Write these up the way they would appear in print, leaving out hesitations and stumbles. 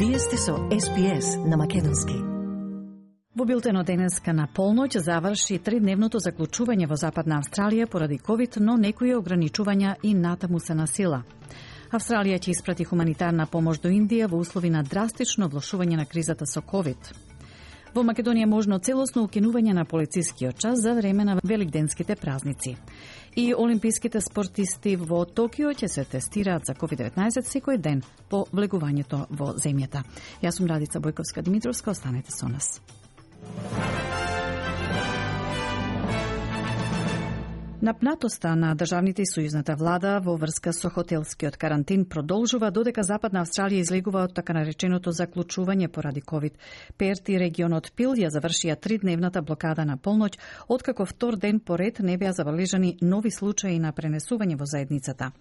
Вие сте со SPS на македонски. Во билтенот денеска на полноќ заврши 3-дневното заклучување во Западна Австралија поради COVID, но некои ограничувања и натаму се на сила. Австралија ќе испрати хуманитарна помош до Индија во услови на драстично влошување на кризата со COVID. Во Македонија можно целосно укинување на полицискиот час за време на великденските празници. И олимписките спортисти во Токио ќе се тестираат за COVID-19 секој ден по влегувањето во земјата. Јас сум Радица Бојковска-Димитровска, останете со нас. Напнатоста на државните и сојузната влада во врска со хотелскиот карантин продолжува додека Западна Австралија излегува од така нареченото заклучување поради COVID. Перт и регионот Пил ја завршија 3-дневната блокада на полноќ, откако втор ден поред не беа забележани нови случаи на пренесување во заедницата.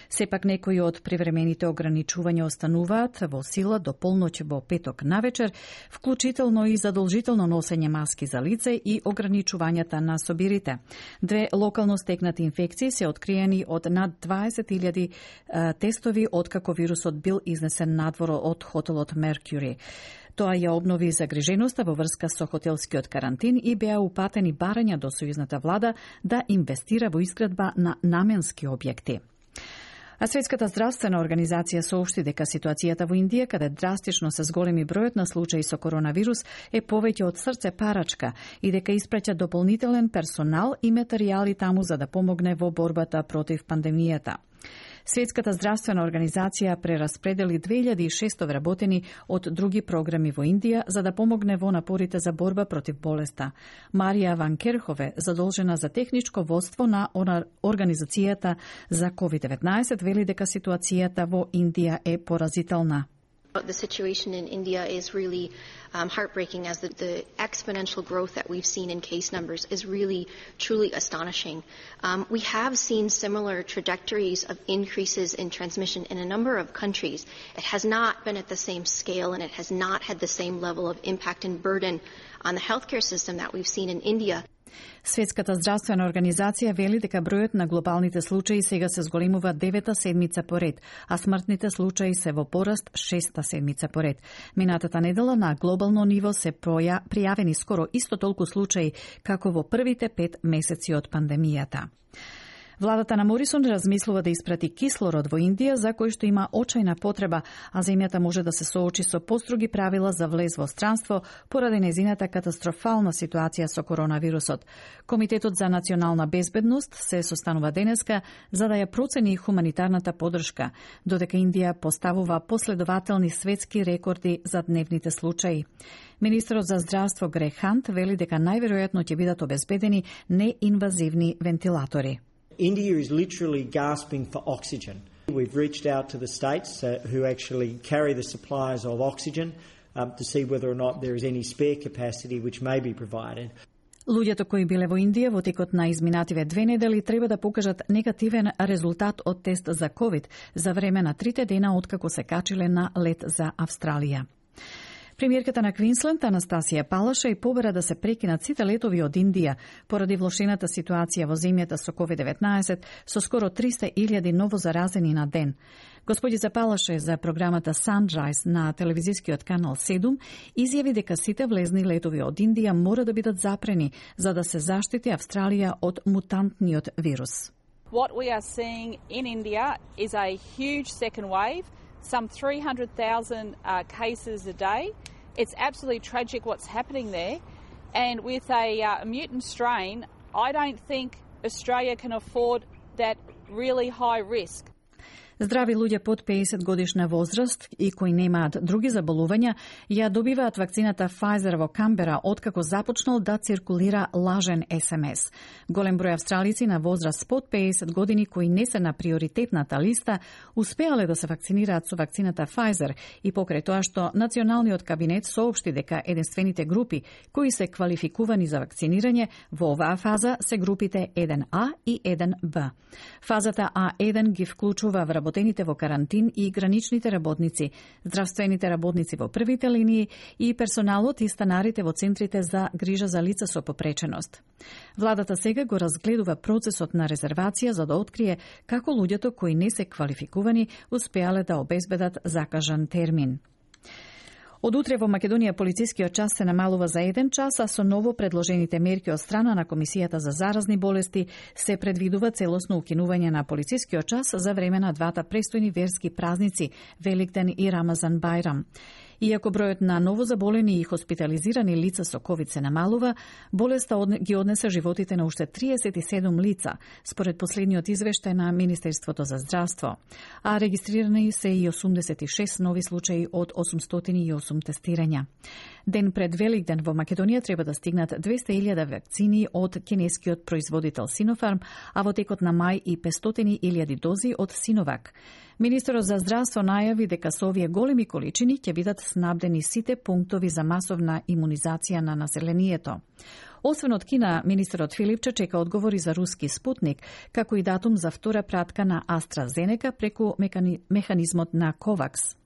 Сепак некои од привремените ограничувања остануваат во сила до полноќ во петок навечер, вклучително и задолжително носење маски за лице и ограничувањата на собирите. Две локално стекнати инфекции се откриени од над 20.000 тестови откако вирусот бил изнесен надвор од хотелот Меркјури. Тоа ја обнови загриженоста во врска со хотелскиот карантин и беа упатени барања до сојузната влада да инвестира во изградба на наменски објекти. А Светската здравствена организација соопшти дека ситуацијата во Индија, каде драстично се зголеми бројот на случаи со коронавирус, е повеќе од срце парачка и дека испраќа дополнителен персонал и материјали таму за да помогне во борбата против пандемијата. Светската здравствена организација прераспредели 2600 вработени од други програми во Индија за да помогне во напорите за борба против болеста. Марија Ван Керхове, задолжена за техничко водство на организацијата за COVID-19, вели дека ситуацијата во Индија е поразителна. The situation in India is really heartbreaking, as the exponential growth that we've seen in case numbers is really, truly astonishing. We have seen similar trajectories of increases in transmission in a number of countries. It has not been at the same scale, and it has not had the same level of impact and burden on the healthcare system that we've seen in India. Светската здравствена организација вели дека бројот на глобалните случаи сега се зголемува 9-та седмица поред, а смртните случаи се во пораст 6-та седмица поред. Минатата недела на глобално ниво се пријавени скоро исто толку случаи како во првите 5 месеци од пандемијата. Владата на Морисон размислува да испрати кислород во Индија, за кој што има очајна потреба, а земјата може да се соочи со построги правила за влез во странство поради незината катастрофална ситуација со коронавирусот. Комитетот за национална безбедност се состанува денеска за да ја процени хуманитарната подршка, додека Индија поставува последователни светски рекорди за дневните случаи. Министерот за здравство Грег Хант вели дека најверојатно ќе бидат обезбедени неинвазивни вентилатори. India is literally gasping for oxygen. We've reached out to the states who actually carry the supplies of oxygen to see whether or not there is any spare capacity which may be provided. Луѓето кои биле во Индија во текот на изминативе 2 недели треба да покажат негативен резултат од тест за COVID за време на 3 дена откако се качиле на лет за Австралија. Премиерката на Квинсленд, Анастасија Палаша, и побера да се прекинат сите летови од Индија поради влошената ситуација во земјата со COVID-19 со скоро 300.000 новозаразени на ден. Господица Палаша за програмата Sunrise на телевизискиот канал 7 изјави дека сите влезни летови од Индија мора да бидат запрени за да се заштити Австралија од мутантниот вирус. What we are seeing in India is a huge second wave. Some 300,000 cases a day. It's absolutely tragic what's happening there. And with a mutant strain, I don't think Australia can afford that really high risk. Здрави луѓе под 50 годишна возраст и кои немаат други заболувања ја добиваат вакцината Pfizer во Камбера откако започнал да циркулира лажен СМС. Голем број австралици на возраст под 50 години кои не се на приоритетната листа успеале да се вакцинираат со вакцината Pfizer и покрај тоа што Националниот кабинет соопшти дека единствените групи кои се квалификувани за вакцинирање во оваа фаза се групите 1А и 1Б. Фазата А1 ги вклучува вработените во карантин и граничните работници, здравствените работници во првите линии и персоналот и станарите во центрите за грижа за лица со попреченост. Владата сега го разгледува процесот на резервација за да открие како луѓето кои не се квалификувани успеале да обезбедат закажан термин. Од утре во Македонија полицискиот час се намалува за 1 час, а со ново предложените мерки од страна на Комисијата за заразни болести се предвидува целосно укинување на полицискиот час за време на двата престојни верски празници, Великден и Рамазан Бајрам. Иако бројот на новозаболени и хоспитализирани лица со ковид се намалува, болеста ги однесе животите на уште 37 лица, според последниот извештај на Министерството за здравство. А регистрирани се и 86 нови случаи од 808 тестирања. Ден пред Великден во Македонија треба да стигнат 200.000 вакцини од кинескиот производител Синофарм, а во текот на мај и 500.000 дози од Синовак. Министерот за здравство најави дека со овие големи количини ќе бидат снабдени сите пунктови за масовна имунизација на населението. Освен од Кина, министерот Филипче чека одговори за руски Спутник, како и датум за втора пратка на AstraZeneca преку механизмот на COVAX.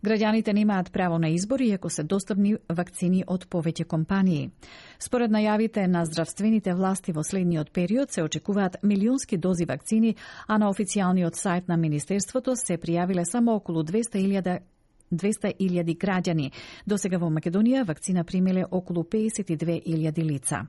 Граѓаните немаат право на избор иако се достапни вакцини од повеќе компании. Според најавите на здравствените власти во следниот период се очекуваат милионски дози вакцини, а на официјалниот сајт на Министерството се пријавиле само околу 200.000 граѓани. Досега во Македонија вакцина примиле околу 52.000 лица.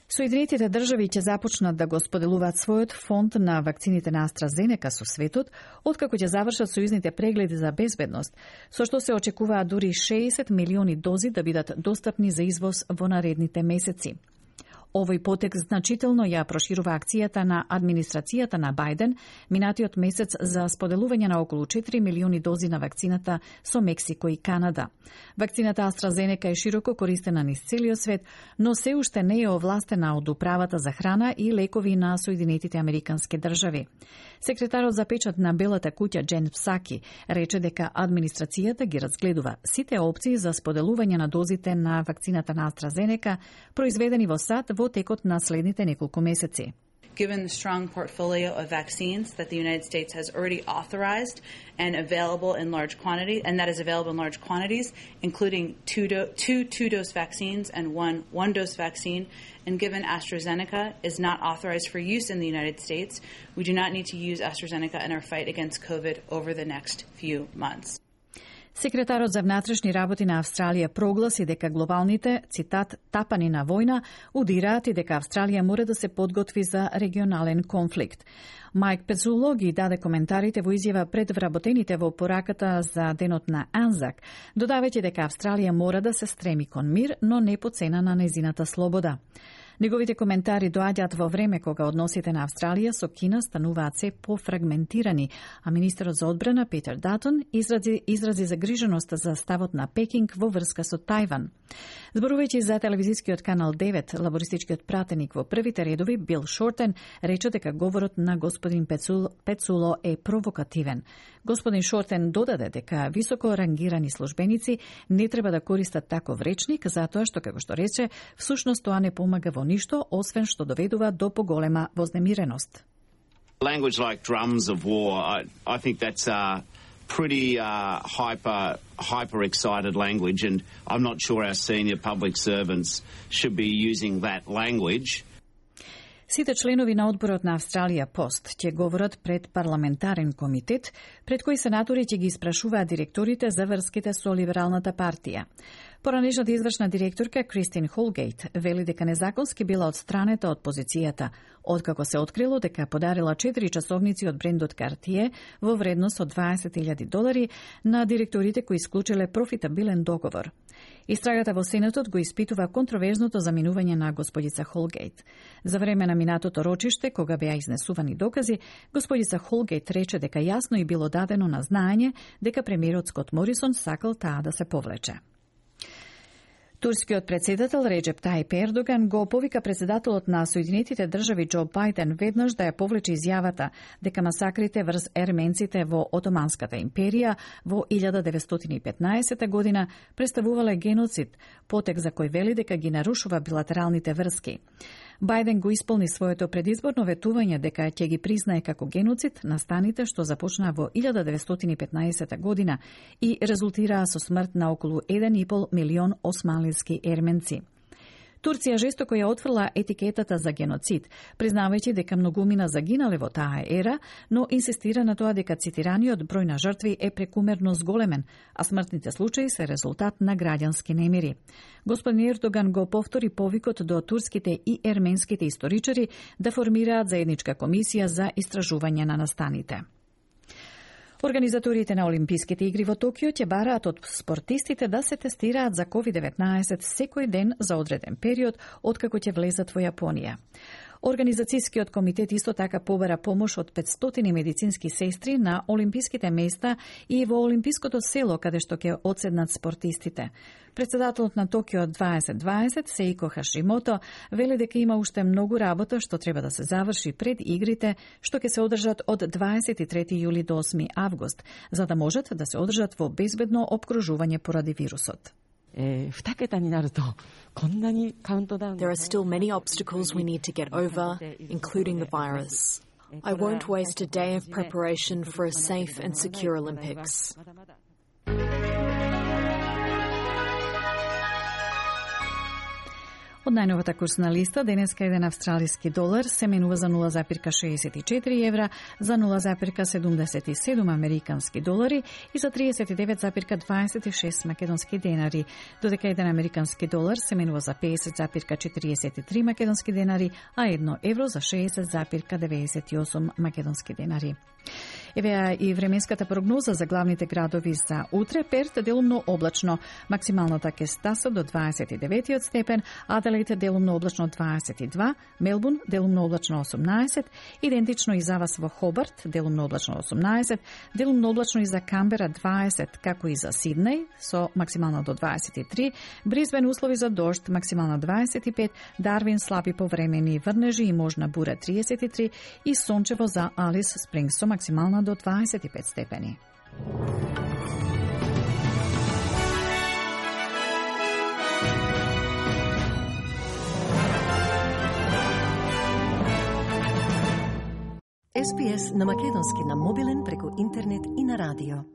Соединетите држави ќе започнат да го споделуваат својот фонд на вакцините на AstraZeneca со светот, откако ќе завршат сојузните прегледи за безбедност, со што се очекуваат дури 60 милиони дози да бидат достапни за извоз во наредните месеци. Овој потек значително ја проширува акцијата на администрацијата на Бајден минатиот месец за споделување на околу 4 милиони дози на вакцината со Мексико и Канада. Вакцината AstraZeneca е широко користена низ целиот свет, но се уште не е овластена од Управата за храна и лекови на Соединетите Американски држави. Секретарот за печат на Белата куќа Джен Псаки рече дека администрацијата ги разгледува сите опции за споделување на дозите на вакцината на AstraZeneca произведени во САД во текот на следните неколку месеци. Given the strong portfolio of vaccines that the United States has already authorized and available in large quantity, and that is available in large quantities, including two-dose vaccines and one-dose vaccine, and given AstraZeneca is not authorized for use in the United States, we do not need to use AstraZeneca in our fight against COVID over the next few months. Секретарот за внатрешни работи на Австралија прогласи дека глобалните, цитат, тапани на војна удираат и дека Австралија мора да се подготви за регионален конфликт. Майк Пецуло ги даде коментарите во изјава пред вработените во пораката за денот на Анзак, додавајќи дека Австралија мора да се стреми кон мир, но не по цена на нејзината слобода. Неговите коментари доаѓаат во време кога односите на Австралија со Кина стануваат се пофрагментирани, а министерот за одбрана Питер Датон изрази загриженост за ставот на Пекинг во врска со Тајван. Зборувајќи за телевизискиот канал 9, лабористичкиот пратеник во првите редови Бил Шортен рече дека говорот на господин Пецуло е провокативен. Господин Шортен додаде дека високо рангирани службеници не треба да користат таков речник, затоа што, како што рече, всушност тоа не помага во ништо, освен што доведува до поголема вознемиреност. Language like drums of war, I think that's pretty hyper excited language, and I'm not sure our senior public servants should be using that language. Сите членови на одборот на Австралија Пост ќе говорат пред парламентарен комитет, пред кој сенатори ќе ги испрашуваат директорите за врските со Либералната партија. Поранешната извршна директорка Кристин Холгейт вели дека незаконски била одстранета од позицијата, откако се открило дека подарила 4 часовници од брендот Cartier во вредност од $20,000 на директорите кои исклучиле профитабилен договор. Истрагата во Сенатот го испитува контроверзното заминување на господица Холгейт. За време на минатото рочиште, кога беа изнесувани докази, господица Холгейт рече дека јасно и било дадено на знаење дека премиерот Скот Морисон сакал таа да се повлече. Турскиот председател Реджеп Тајип Ердоган го повика председателот на Соединетите држави Џо Бајден веднаш да ја повлече изјавата дека масакрите врз ерменците во Отоманската империја во 1915 година представувале геноцид, потек за кој вели дека ги нарушува билатералните врски. Бајден го исполни своето предизборно ветување дека ќе ги признае како геноцид настаните што започнаа во 1915 година и резултираа со смрт на околу 1,5 милион османлиски ерменци. Турција жестоко ја отфрла етикетата за геноцид, признавајќи дека многумина загинале во таа ера, но инсистира на тоа дека цитираниот број на жртви е прекумерно зголемен, а смртните случаи се резултат на граѓански немири. Господин Ердоган го повтори повикот до турските и ерменските историчари да формираат заедничка комисија за истражување на настаните. Организаторите на Олимписките игри во Токио ќе бараат од спортистите да се тестираат за COVID-19 секој ден за одреден период откако ќе влезат во Јапонија. Организацијскиот комитет исто така побара помош од 500 медицински сестри на олимписките места и во олимпиското село каде што ќе одседнат спортистите. Председателот на Токио 2020 Сеико Хашимото вели дека има уште многу работа што треба да се заврши пред игрите што ќе се одржат од 23 јули до 8 август, за да можат да се одржат во безбедно обкружување поради вирусот. There are still many obstacles we need to get over, including the virus. I won't waste a day of preparation for a safe and secure Olympics. Од најновата курсна листа, денеска еден австралиски долар се менува за 0,64 евра, за 0,77 американски долари и за 39,26 македонски денари, додека еден американски долар се менува за 50,43 македонски денари, а 1 евро за 60,98 македонски денари. Евеа и временската прогноза за главните градови за утре. Перт делумно облачно, максималната ќе стаса до 29 степен, Аделаид делумно облачно 22, Мелбурн делумно облачно 18, идентично и за вас во Хобарт делумно облачно 18, делумно облачно и за Камбера 20, како и за Сиднеј со максимална до 23, Брисбен услови за дожд, максимална 25, Дарвин слаби повремени врнежи и можна бура 33 и сончево за Алис Спрингс со максимална до 25 степени. SPS на македонски на мобилен преку интернет и на радио.